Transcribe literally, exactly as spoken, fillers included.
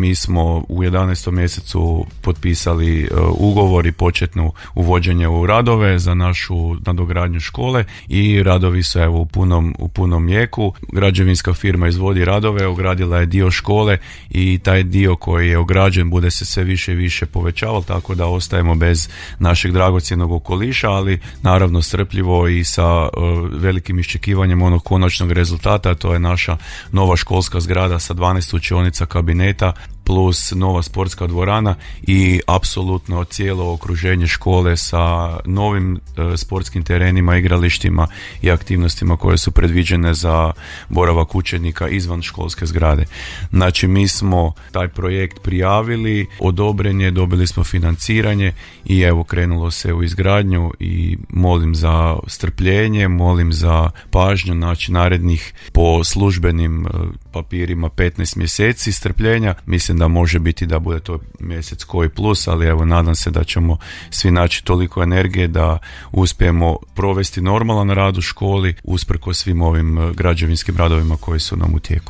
Mi smo u jedanaestom mjesecu potpisali ugovor i početno uvođenje u radove za našu nadogradnju škole i radovi su evo u punom, u punom jeku. Građevinska firma izvodi radove, ogradila je dio škole i taj dio koji je ograđen bude se sve više i više povećavao, tako da ostajemo bez našeg dragocjenog okoliša, ali naravno strpljivo i sa uh, velikim iščekivanjem onog konačnog rezultata. To je naša nova školska zgrada sa dvanaest učionica, kabineta plus nova sportska dvorana i apsolutno cijelo okruženje škole sa novim e, sportskim terenima, igralištima i aktivnostima koje su predviđene za boravak učenika izvan školske zgrade. Znači mi smo taj projekt prijavili, odobren je, dobili smo financiranje i evo krenulo se u izgradnju i molim za strpljenje, molim za pažnju, znači narednih po službenim e, papirima petnaest mjeseci strpljenja. Mislim da može biti da bude to mjesec koji plus, ali evo nadam se da ćemo svi naći toliko energije da uspijemo provesti normalan rad u školi usprkos svim ovim građevinskim radovima koji su nam u tijeku.